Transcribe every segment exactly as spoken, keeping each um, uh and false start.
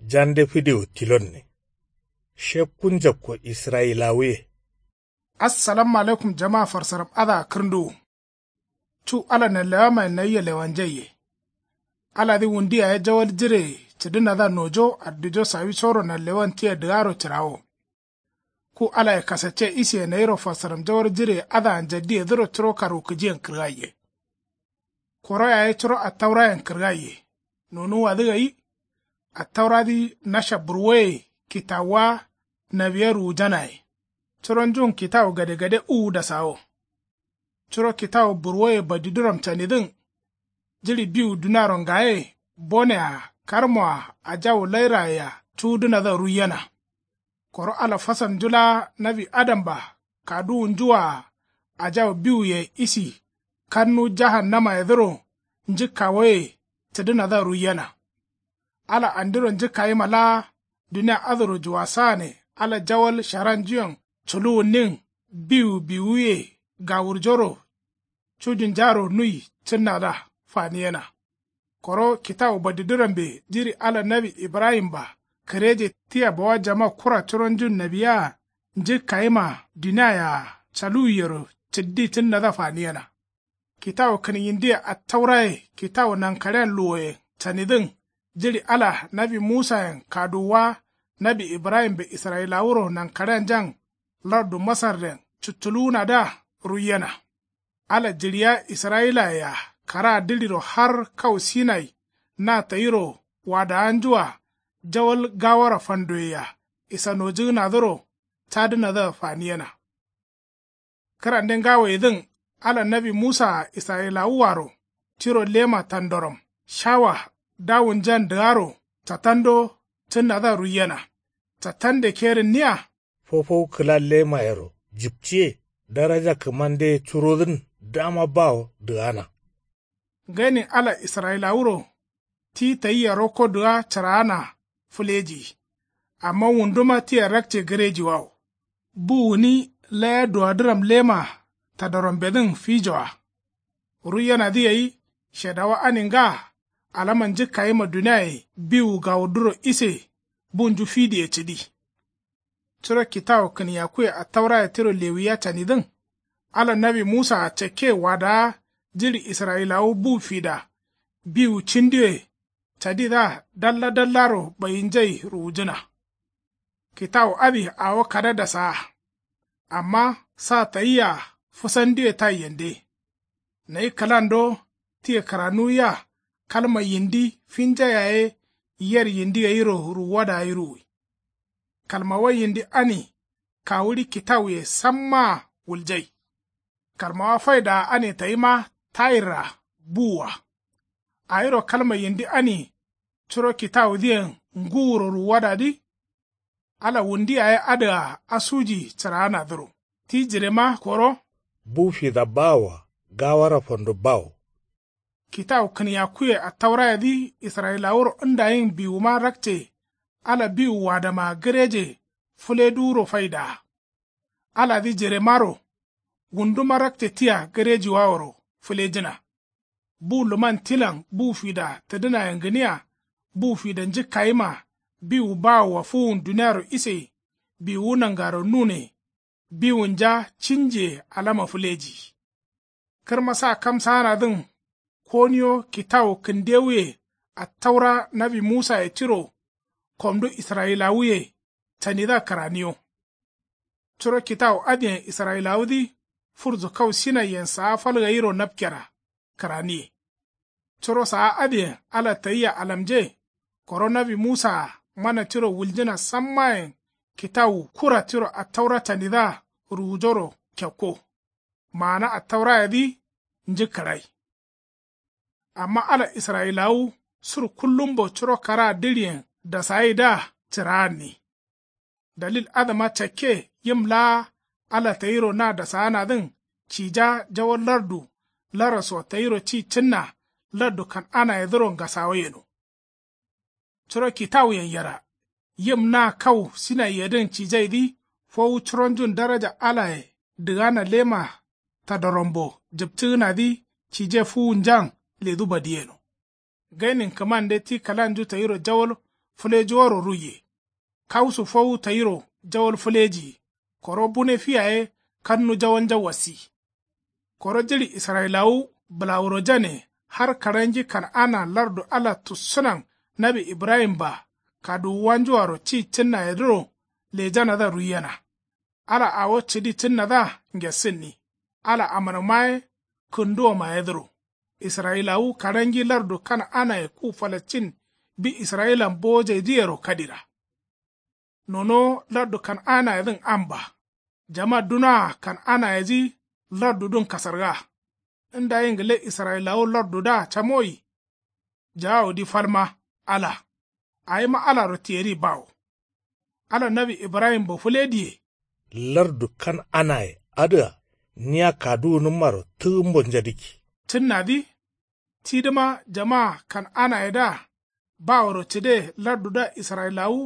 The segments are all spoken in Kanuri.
Jande fidewo tilonne. Shekku njapko israyilawuye. Assalamu alaikum jama farsaram adǝa kǝrnduwu. Cu ala nanlewamayen nayia lewanjaiye. Aladǝ wundi yaye jawal jire cǝdǝnadǝa nojo addijo sawisoro nanlewan tia dǝgaro cǝrawo. Ku alaye kasacce isiye nayiro farsaram jawal jireye adǝa njaddiyedǝro curo karwukǝjiyen kǝrgaiye. Koro yaye curo attaurayen kǝrgaiye. Nonuwwadǝ gai. Attauradǝ nasha burwoye kitawuwa nawiya ruwujanaye. Curonjun kitawu gadegade uwu dasawo. Curo kitawu burwoye badiduram canidǝn. Jiɍi biwu duniaro ngaye bone-a karmo-a ajawu lairaye-a cuwudǝnadǝa ruiyena. Koro ala fasalnju laa nawi adamba kaduwunju-a ajawu biwuye isi kannu jahannamayedǝro njǝkkawoye cǝdǝnadǝa ruiyena. Ala andiro njǝkkayima laa dunia adǝro juwasagane ala jawal sharanjuyen culuwunnin biwu biwuye gawurjoro cujunjaro nui cǝnnadǝa faniyena. Koro kitawu badidurambe jiɍi ala nawi ibrahim-ba kǝreje tia bawa jama kura curonjun nawiyea njǝkkayima duniayea caluwiyero cǝddi cǝnnadǝa faniyena. Kitawu kǝnyindiye attauraye kitawu nankaɍean luwoyen canidǝn jiɍi ala nawi musayen kaduwuwa nawi ibrahimbe israyilawuro nankaɍeanjan lardu masarden cuttuluwunadǝa ruiyena. Ala jiɍiya israyilaye-a karaa dǝɍiro har kau sinai na tayiro wadawanju-a jawal gawara fandoye-a isanojǝgǝnadǝro cadǝnadǝa faniyena. Kǝrande ngawoyedǝn ala nawi musa-a israyilawuaro tiro lema tandoram shawa dawunjan dǝgaro catando cǝnnadǝa ruiyena. Catande kerǝnniya. Fofowu kǝla lemayero jipciye daraja kǝmandeye curodǝn dama bawo dǝgana. Gainin ala israyilawuro ti tayia rokko dǝga cǝraana fǝleji. Amma wunduma tia rakce gǝrejiwawo. Bu gǝni laya duwadǝram lema tadarambedǝn fijoa. Ruiyenadǝ gai shedawa ani nga alama njǝkkayima duniaye biwu gawurduro ise bunju fidiye cǝdi. Curo kitawu kǝniyakkuye attauraye tiro lewiya canidǝn ala nawi musaa cakke wadawa jiɍi israyilawu bu fida biwu cindiwe cadidǝa dalla dallaro ɓayinjai ruwujǝna. Kitawu adǝ awo kada dasaa. Amma sa tayia fǝsandiwe taiyende. Nayi kǝlando tia kǝranuwiya kalma yindi finja yaye yer yindi gairo ruwuwada gai ruwui. Kalmawa yindi ani kawuɍi kitawuye sammaa wuljai. Kalmawa faidaa ani tayima tayirra buwua. Awiro kalma yindi ani curo kitawudǝyen ngǝwuro ruwuwadadǝ. Ala wundi yaye adǝa asuji cǝraanadǝro ti jirema koro. Bu fida bawoa gawara fando bawo. Kitawu kǝniyakkuye attaurayedǝ israyilawuro ndayin biwuma rakce. Ala biwu wadama gǝreje fǝleduwuro faidaa. Aladǝ jiremaro wunduma rakce tia gǝrejiwaworo fǝlejǝna. Bu luman tilan bu fida tǝdǝnayen gǝnia bu fida njǝkkayima biwu bawoa fuwun duniaro ise biwuwu nangaro nune. Biwunja cinjiye alama fǝleji. Kǝrma sa kamsaanadǝn koniyo kitawu kǝndewuye attaura nawi musaye tiro komdu israyilawuye canidǝa kǝraniyo. Curo kitawu adǝyen israyilawudǝ furzu kau sinaiyen saa fal gairo napkera kǝraniye. Curo saa adǝyen ala tayia alamje. Koro nawi musaa mana tiro wuljǝna sammayen kitawu kura tiro attaura canidǝa ruwujoro kekko. Maana attaurayedǝ njǝkkǝrai. Amma ala israyilawu sur kullumbo curo karaa dǝɍiyen dasaidǝa cǝraanni. Dalil adǝma cakke yim laa ala tayiro na dasaanadǝn cija jawo lardu laraso tayiro ci cǝnna lardu kan'anayedǝro ngasawo yeno. Curo kitawuyen yera yim na kau sinaiyedǝn cijaidǝ fowu curonjun daraja alaye dǝgana lema tadarambo jǝpcǝgǝnadǝ cije fuwunjan ledu badiyeno. Gainin kǝmande ti kǝlanju tayiro jawal fǝlejuworo ruiye. Kausu fowu tayiro jawal fǝlejiyi. Koro bune fi yaye kannu jawalnja wasi. Koro jiɍi israyilawu bǝlawurojane har karangi kan'ana lardu ala tussǝnan nawi ibrahim-a kaduwuwanjuaro ci cǝnnayedǝro lejanadǝa ruiyena. Ala awo cǝdi cǝnnadǝa ngessǝnni. Ala amarma ye kǝnduwomayedǝro. Israyilawu karangi lardu kan'anaye ku falastin bi israyilan bowojeidǝyero kadira. Nonowo lardu kan'anayedǝn amba. Jama dunoa kan'anayedǝ lardudǝn kasarga. Ndayi ngǝle israyilawu lardudǝa camoyi. Jawawudǝ falma ala. Awima alaro tiyeri bawo. Ala nawi ibrahim-bo fǝlediye. Lardu kan'anaye adǝa nia kaduwunǝmmaro tǝgǝmbo njadǝkki. Cǝnnadǝ tidǝma jama kan'anayedǝa baworo cǝde lardudǝa israyilawu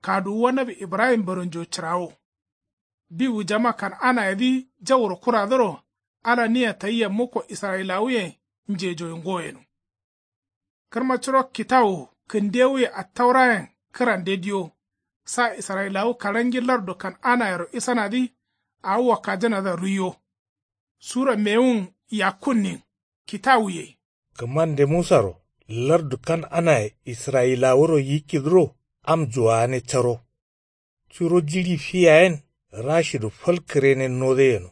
kaduwuwa nawi ibrahim-boro njo cǝrawo. Biwu jama kan'anayedǝ jauro kuradǝro ala nia tayia mukko israyilawuyen njejoye ngoyeno. Kǝrma curo kitawu kǝndewuye attaurayen kǝrande diyo. Sa israyilawu karangi lardu kan'anayero isanadǝ awo wakkajǝnadǝa ruiyo. Sura mewun yakkunnin kitawuye. Kǝmande musaro lardu kan'anaye israyilawuro yikkidǝro am juwagane caro. Curo jiɍi fi yayen rashidu fal kǝrene node yeno.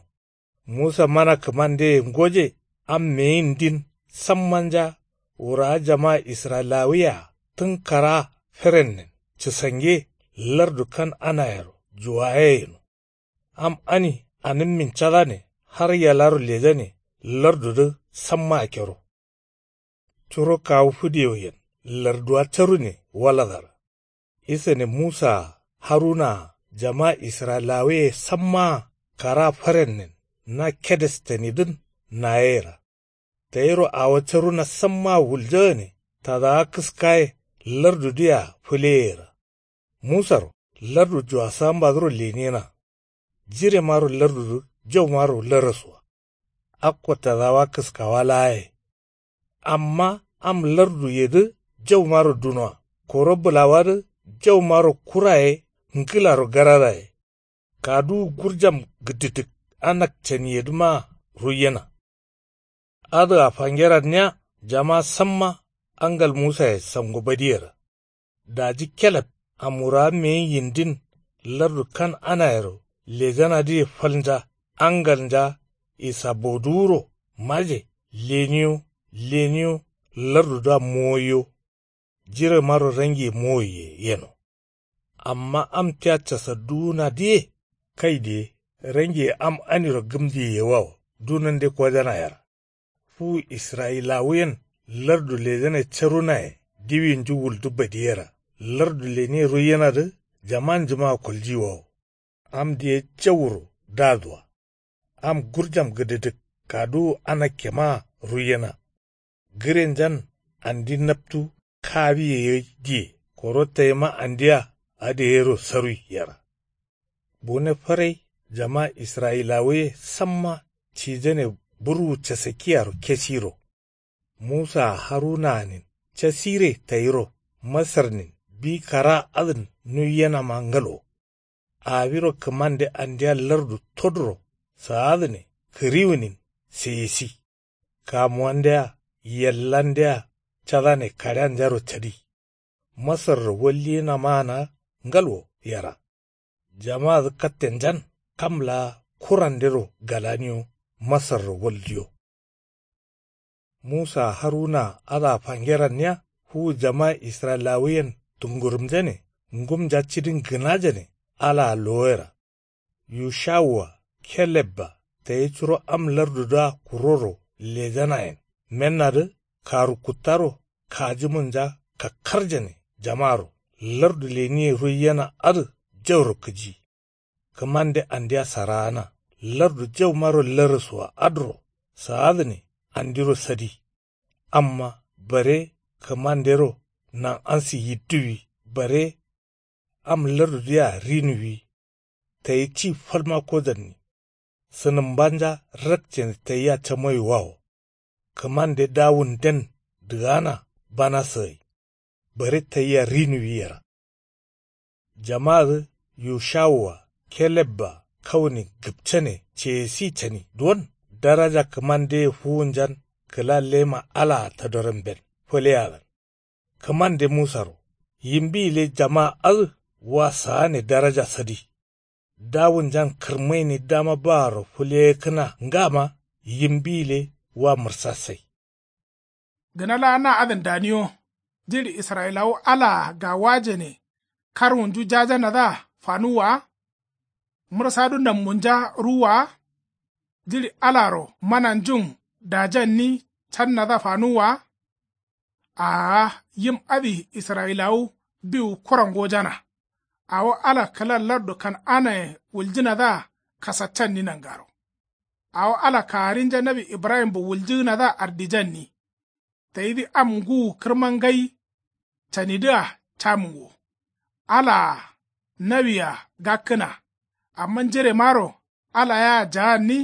Musa mana kǝmandeye ngoje am meyindin sammanja wurawa jama israyilawuyea tǝn kara ferennen cǝsange lardu kan'anayero juwaye yeno. Am ani anǝmmin cadane har yalaro lejane lardudǝ samma akkero. Curo kawu fǝdiyoyen larduwa carune waladara. Isane musaa harunaa jama israyilawuye sammaa kara farennen na kedestanidǝn nayeyera. Tayiro awo caruna sammaa wuljagane tadawa kǝskaye lardudǝyea fǝleyeyera. Musaro lardu juwasambadǝro leniyena. Jiremaro lardudǝ jaumaro laraswa. Akko tadawa kǝskawa laaye. Amma am larduyedǝ jaumaro dunoa koro bǝlawadǝ jaumaro kuraye ngǝlaro gararaye. Kaduwu gurjam gǝdǝdǝk anak caniyedǝmaa ruiyena. Adǝa fangeranniya jama samma angal musaye sango badiyera. Daji keleb amwurawa meyi yindin lardu kan'anayero lejanadǝye falnja angalnja isaboduwuro maje leniyo leniyo lardudǝa mowoiyo. Jiremaro rangiye mowoiye yeno. Amma am tia casadduwunadǝye kai diye rangiye am aniro gǝmdiye yewawo dunande kojana yera. Fuwu israyilawuyen lardu lejane carunaye diwinju wuldu badiyera lardu leniye ruiyenadǝ jamanjumaa koljiwawo. Am diye jauro daduwa. Am gurjam gǝdǝdǝk kaduwu anakkemaa ruiyena. Gǝrenjan andi naptu kawiye gai diye koro tayima andia adǝ gairo sarui yera. Bune farai jama israyilawuye samma cijane burwu casakkiyaro kesiro. Musaa harunaanin casire tayiro masarnin bi kara adǝn nuiyenama ngalwo. Awiro kǝmande andia lardu toduro saadǝne kǝriwunin seyesi. Kamuwande-a yellande-a cadane kaɍeanjaro cadi. Masarro walliyenamaana ngalwo yera. Jamadǝ kattenjan kam laa kurandero galaniyo masarro waldiyo. Musaa harunaa adǝa fangeranniya fuwu jama israyilawuyen tungurumjane ngumnja cidin gǝnajane alaa lowoyera. Yushawua kelebba tayi curo am lardudǝa kuroro lejanayen mennadǝ karu kuttaro kajumunja kakkarjane jamaro lardu leniye ruiyena adǝ jauro kǝji. Kǝmande andia saraana lardu jaumaro laraswa adǝro saadǝne andiro sadi. Amma bare kǝmandero nan'ansi yidduwi bare am lardudǝyea rinuwi. Tayi ci falma kojanni. Sǝnǝmbanja rakcene tayia camoyiwawo. Kǝmande dawunden dǝgana banaso gai. Bare tayia rinuwi yera. Jamadǝ yushawua kelebba kauni gǝpcane ceyesi cani duwon. Daraja kǝmandeye fuwunjan kǝla lema alaa tadoramben fǝleyalan. Kǝmande musaro yimbi gǝle jama adǝ wa saane daraja sadi. Dawunjan kǝrmaini dama baaro fǝleyekkǝna ngama yimbi gǝle wa mǝrsasai. Gǝna laa na adǝn daniyo. Jiɍi israyilawu alaa gawajane karwunju jajanadǝa fanuwwa wa? Mǝrsadu nambunja ruwwa wa? Jiɍi alaro mananjun dajanni cannadǝa fanuwwa wa? Aa, yim adǝ israyilawu biwu kura ngojana. Awo ala kǝla lardu kan'anaye wuljǝnadǝa kasaccanni nangaro. Awo ala kagarinja nawi ibrahimbo wuljǝgǝnadǝa ardijanni. Tayidǝ am ngǝwu kǝrma ngai canidǝa camǝngo. Alaa nawia gakkǝna. Amma njiremaro ala yea jaanni.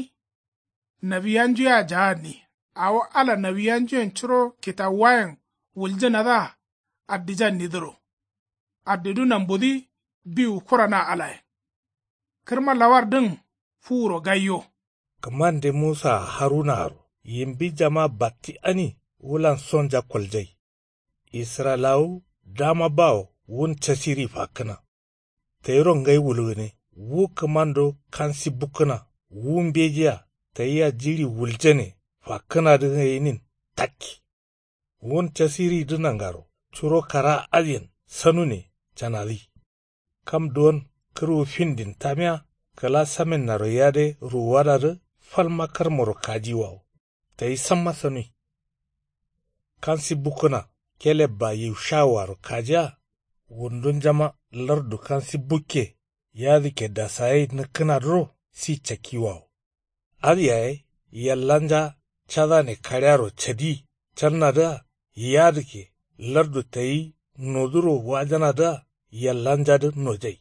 Nawiyanju yea jaanni. Awo ala nawiyanjuyen curo kitawuwayen wuljǝnadǝa ardijannidǝro. Ardidu nambudǝ biwu kura na alayen. Kǝrma lawardǝn fuwuro gaiyo. Kǝmande musaa harunaro yimbi jama batti ani wulan sonja koljai. Israyilawu dama bawo wun casiri fakkǝna. Tayiro ngai wulgǝne wu kǝmando kansi bukkǝna wu mbejiya tayia jiɍi wuljane fakkǝnadǝ gainin takki. Wun casiridǝ nangaro curo kara adǝyen sanune canadǝ. Kam duwon kǝrwu findin tamiya kǝla samennaro yade ruwuwadadǝ falma karmoro kajiwawo. Tayi samma sanui. Kansi bukkǝna kelebba yushawuaro kajiya. Wundunjama lardu kansi bukke yadǝkke dasagai nǝkkǝnadǝro si cakkiwawo. Adǝ yaye yallanja cadane kaɍearo cadi cannadǝa yadǝkke lardu tayi noduro wajanadǝa yallanjadǝ nojai.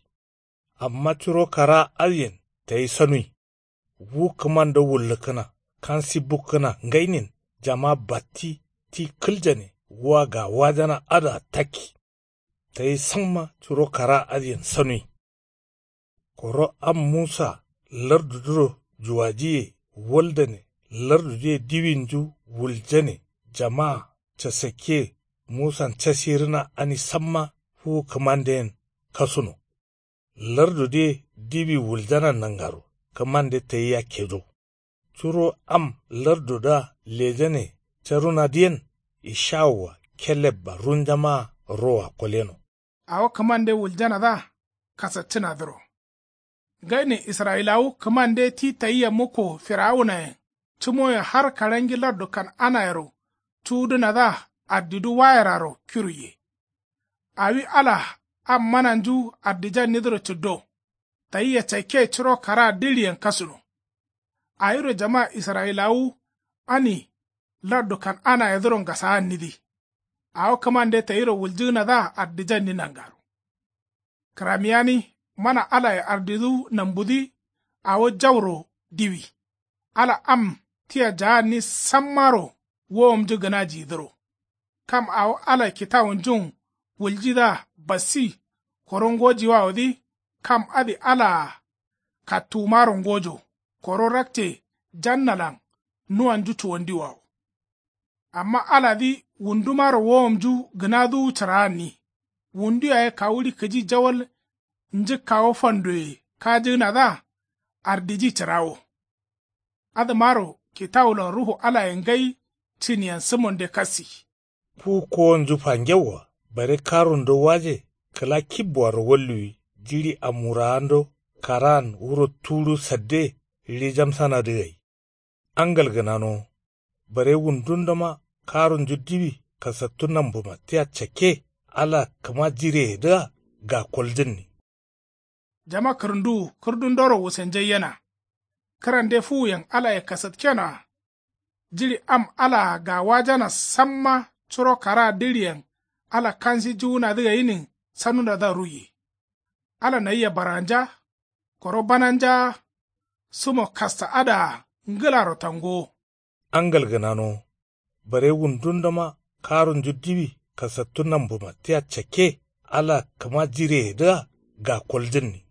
Amma curo kara adǝyen tayi sanui. Wu kǝmando wullǝkkǝna kansi bukkǝna ngainin jama batti ti kǝljane wa gawajana adǝa takki. Tayi samma curo kara adǝyen sanui. Koro am musa lardudǝro juwajiye waldane lardudǝye diwinju wuljane jama casakke. Musan casirǝna ani samma fuwu kǝmandeyen kasuno. Lardudǝye diwi wuljanan nangaro kǝmande tayi yakkedo. Curo am lardudǝa lejane carunadǝyen ishawua kelebba runjamaa roa koleno. Awo kǝmande wuljanadǝa kasaccǝnadǝro. Gainin israyilawu kǝmande ti tayia mukko firawunayen cǝmoye har kaɍangi lardu kan'anayero cuwudǝnadǝa ardidu wayeraro kiruiye. Awi ala am mananju ardijannidǝro cǝddo. Tayia cakke curo karaa diɍiyen kasuno. Awiro jama israyilawu ani lardu kan'anayedǝro ngasaannidǝ. Awo kǝmande tayiro wuljǝgǝnadǝa ardijanni nangaro. Kǝramiyani mana alaye ardidu nambudǝ awo jauro diwi. Ala am tia jaanni sammaro wowomnju gǝnajiyidǝro. Kam awo ala kitawunjun wuljidǝa bassi koro ngojiwawodǝ. Kam adǝ alaa kattuwumaro ngojo koro rakce jannalan nuwanju cuwandiwawo. Amma aladǝ wundumaro wowomnju gǝnaduwu cǝraanni. Wundu yaye kawuɍi kǝji jawal njǝkkawo fandoye kajǝgǝnadǝa ardiji cǝrawo. Adǝmaro kitawulan ruhu alaye ngai cǝniyen sǝmonde kassi. Ku kowonju fangewwa bare karundo waje kǝla kibbuaro walluwi jiɍi amwuraando karaan wuro tudu sadde ɍijamsanadǝ gai. Angal gǝnanowo bare wundundoma karunju diwi kasattu nambuma tia cakke ala kǝma jireyedǝa gakoljǝnni. Jama kǝrǝnduwu kǝrdundoro wusenjaiyena. Kǝrande fuwuyen alaye kasatkenoa. Jiɍi am alaa gawajana samma curo karaa diɍiyen ala kansi juwunadǝ gainin sanunadǝa ruiye. Ala nayia barganja koro bananjaa. Sǝmo kasta adǝa ngǝlaro tangowo. Angal gǝnanowo bare wundundoma karunju diwi kasattu nambuma tia cakke ala kǝma jireyedǝa ga koljǝnni.